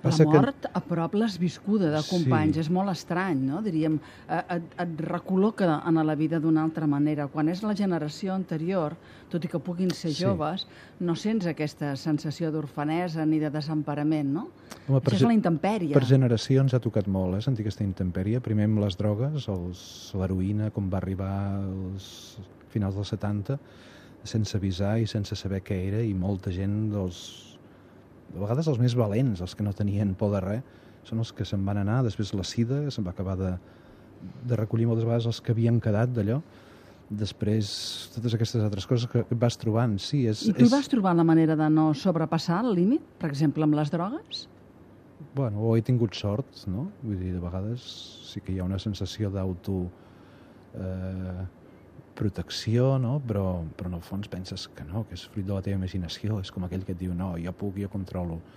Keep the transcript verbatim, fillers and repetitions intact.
La Passa que- mort a prop l'has viscuda de companys, Sí. és molt estrany, no? Diríem, eh, et, et recol·loca en la vida d'una altra manera. Quan és la generació anterior, tot i que puguin ser Sí. joves, no sents aquesta sensació d'orfanesa ni de desemparament, no? Home, per Això és ge- la intempèrie. Per generacions ha tocat molt, eh, sentir aquesta intempèrie. Primer amb les drogues, els- l'heroïna, com va arribar als finals dels setanta, sense avisar i sense saber què era, i molta gent, dels, de vegades els més valents, els que no tenien por de res, són els que se'n van anar. Després la sida, se'n va acabar de, de recollir moltes vegades els que havien quedat d'allò. Després, totes aquestes altres coses que, que et vas trobant. Sí, és, I tu és... vas trobar la manera de no sobrepassar el límit, per exemple, amb les drogues? Bueno, o he tingut sort, no? Vull dir, de vegades sí que hi ha una sensació d'auto eh, protecció, no? Però, però en el fons penses que no, que és fruit de la teva imaginació. És com aquell que et diu, no, jo puc, jo controlo.